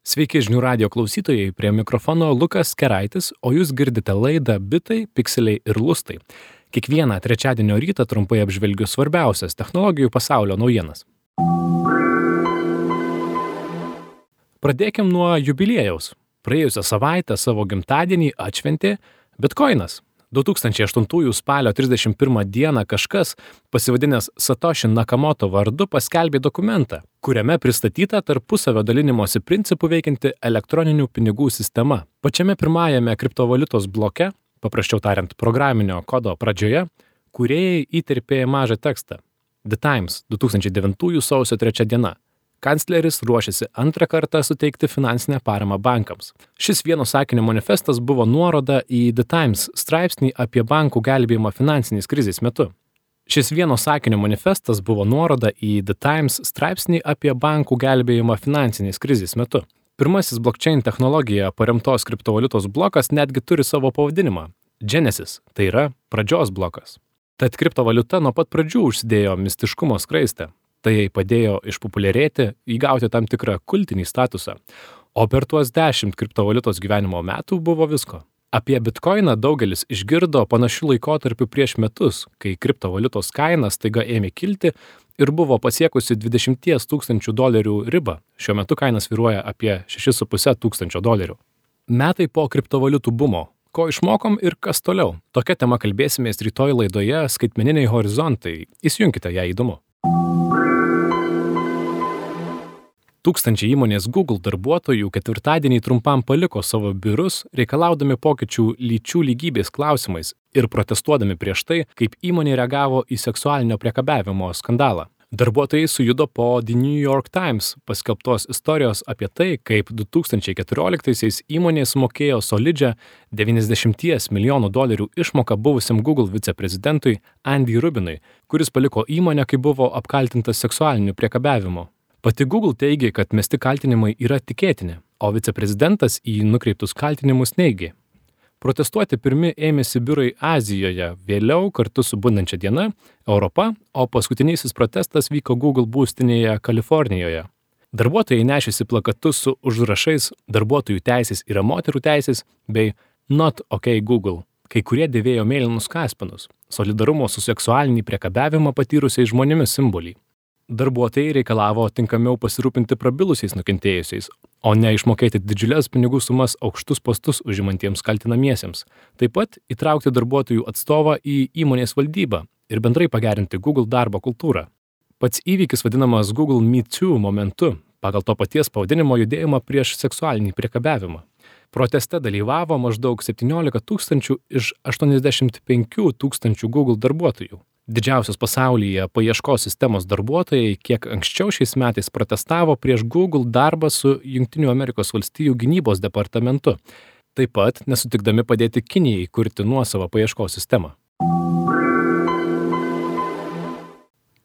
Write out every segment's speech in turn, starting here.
Sveiki žinių radio klausytojai, prie mikrofono Lukas Keraitis, o jūs girdite laidą Bitai, Pikseliai ir Lustai. Kiekvieną trečiadienio rytą trumpai apžvelgiu svarbiausias technologijų pasaulio naujienas. Pradėkim nuo jubiliejaus. Praėjusią savaitę savo gimtadienį atšventė Bitcoinas. 2008 spalio 31 dieną kažkas, pasivadinęs Satoshi Nakamoto vardu, paskelbė dokumentą, kuriame pristatyta tarpusavio dalinimosi principų veikianti elektroninių pinigų sistema. Pačiame pirmajame kriptovaliutos bloke, paprasčiau tariant programinio kodo pradžioje, kūrėjai įterpė mažą tekstą. The Times, 2009 sausio 3 diena. Kancleris ruošiasi antrą kartą suteikti finansinę paramą bankams. Šis vieno sakinio manifestas buvo nuoroda į The Times straipsnį apie bankų gelbėjimą finansinės krizės metu. Šis vieno sakinio manifestas buvo nuoroda į The Times straipsnį apie bankų gelbėjimą finansinės krizės metu. Pirmasis blockchain technologija paremtos kriptovaliutos blokas netgi turi savo pavadinimą – Genesis, tai yra pradžios blokas. Tad kriptovaliuta nuo pat pradžių užsidėjo mistiškumo skraistę. Tai jai padėjo išpopuliarėti, įgauti tam tikrą kultinį statusą. O per tuos 10 kriptovaliutos gyvenimo metų buvo visko. Apie Bitcoiną daugelis išgirdo panašių laikotarpių prieš metus, kai kriptovaliutos kaina staiga ėmė kilti ir buvo pasiekusi $20 000 ribą. Šiuo metu kaina svyruoja apie $6,5 tūkstančio. Metai po kriptovaliutų bumo. Ko išmokom ir kas toliau? Tokia tema kalbėsimės rytoj laidoje Skaitmeniniai horizontai. Įsijunkite, jei įdomu. Tūkstančiai įmonės Google darbuotojų ketvirtadienį trumpam paliko savo biurus, reikalaudami pokyčių lyčių lygybės klausimais ir protestuodami prieš tai, kaip įmonė reagavo į seksualinio priekabiavimo skandalą. Darbuotojai sujudo po The New York Times paskelbtos istorijos apie tai, kaip 2014-aisiais įmonė sumokėjo solidžią $90 milijonų išmoką buvusiam Google viceprezidentui Andy Rubinui, kuris paliko įmonę, kai buvo apkaltintas seksualiniu priekabiavimu. Pati Google teigė, kad mesti kaltinimai yra tikėtini, o viceprezidentas į nukreiptus kaltinimus neigė. Protestuoti pirmi ėmėsi biurai Azijoje, vėliau kartu su bundančia diena Europa, o paskutinysis protestas vyko Google būstinėje Kalifornijoje. Darbuotojai nešėsi plakatus su užrašais darbuotojų teisės yra moterų teisės bei Not OK Google. Kai kurie dėvėjo mėlynus kaspinus, solidarumo su seksualinį priekabiavimą patyrusiais žmonėmis simbolį. Darbuotojai reikalavo tinkamiau pasirūpinti prabilusiais nukentėjusiais, o ne išmokėti didžiulės pinigų sumas aukštus postus užimantiems kaltinamiesiems. Taip pat įtraukti darbuotojų atstovą į įmonės valdybą ir bendrai pagerinti Google darbo kultūrą. Pats įvykis vadinamas Google Me Too momentu, pagal to paties pavadinimo judėjimą prieš seksualinį priekabiavimą. Proteste dalyvavo maždaug 17 000 iš 85 000 Google darbuotojų. Didžiausios pasaulyje paieškos sistemos darbuotojai kiek anksčiau šiais metais protestavo prieš Google darbą su Jungtinių Amerikos valstijų gynybos departamentu, taip pat nesutikdami padėti Kinijai kurti nuosavą paieškos sistemą.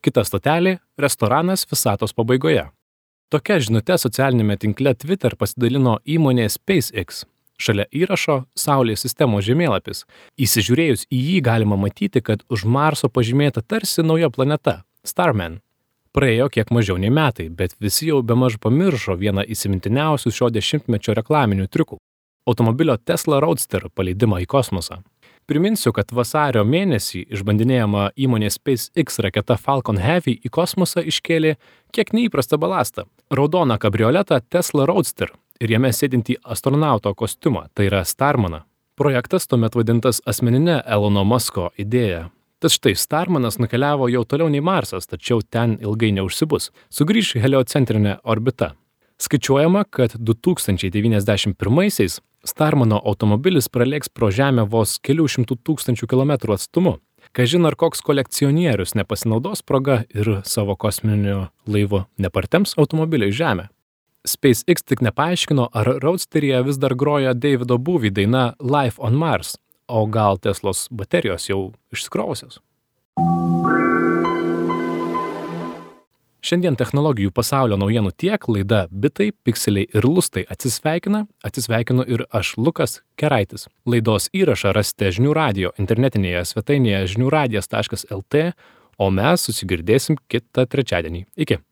Kita stotelė – restoranas visatos pabaigoje. Tokia žinute socialinėme tinkle Twitter pasidalino įmonė SpaceX. Šalia įrašo Saulės sistemos žemėlapis. Įsižiūrėjus į jį galima matyti, kad už Marso pažymėta tarsi nauja planeta – Starman. Praėjo kiek mažiau nei metai, bet visi jau bemaž pamiršo vieną įsimintiniausių šio dešimtmečio reklaminių triukų – automobilio Tesla Roadster paleidimą į kosmosą. Priminsiu, kad vasario mėnesį išbandinėjama įmonės SpaceX raketa Falcon Heavy į kosmosą iškėlė kiek neįprastą balastą – raudoną kabrioletą Tesla Roadster ir jame sėdintį astronauto kostiumą, tai yra Starmaną. Projektas tuomet vadintas asmeninė Elono Musko idėja. Tad štai Starmanas nukeliavo jau toliau nei Marsas, tačiau ten ilgai neužsibus. Sugrįš į heliocentrinę orbitą. Skaičiuojama, kad 2091-aisiais Starmano automobilis pralėks pro Žemę vos kelių šimtų tūkstančių kilometrų atstumu. Kažin ar koks kolekcionierius nepasinaudos proga ir savo kosminiu laivu nepartems automobilio į Žemę. SpaceX tik nepaaiškino, ar Roadsteryje vis dar groja Davido Bowie daina Life on Mars, o gal Teslos baterijos jau išsikrovusios. Šiandien technologijų pasaulio naujienų tiek, laida Bitai, Pikseliai ir Lustai atsisveikinu ir aš, Lukas Keraitis. Laidos įrašą rasite žinių radio internetinėje svetainėje žiniųradijas.lt, o mes susigirdėsim kitą trečiadienį. Iki.